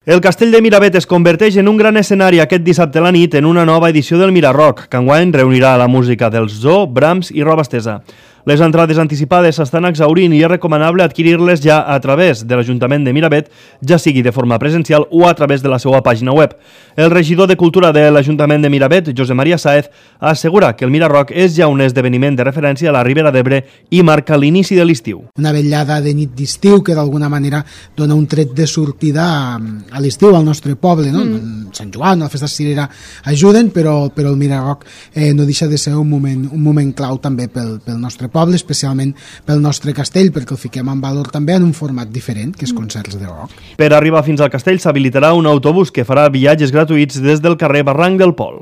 El Castell de Miravet es converteix en un gran escenari aquest dissabte a la nit en una nova edició del Mirarock, que enguany reunirà la música dels Zoo, Brahms i Roba Estesa. Les entrades anticipades s'estan exhaurint i és recomanable adquirir-les ja a través de l'Ajuntament de Miravet, ja sigui de forma presencial o a través de la seva pàgina web. El regidor de Cultura de l'Ajuntament de Miravet, Josep Maria Sáez, assegura que el Mirarock és ja un esdeveniment de referència a la Ribera d'Ebre i marca l'inici de l'estiu. Una vetllada de nit d'estiu que d'alguna manera dona un tret de sortida a l'estiu al nostre poble, no? Sant Joan, la festa cirera ajuden, però el Mirarock no deixa de ser un moment clau també pel nostre poble, especialment pel nostre castell, perquè el fiquem en valor també en un format diferent, que és concerts de rock. Per arribar fins al castell s'habilitarà un autobús que farà viatges gratuïts des del carrer Barranc del Pol.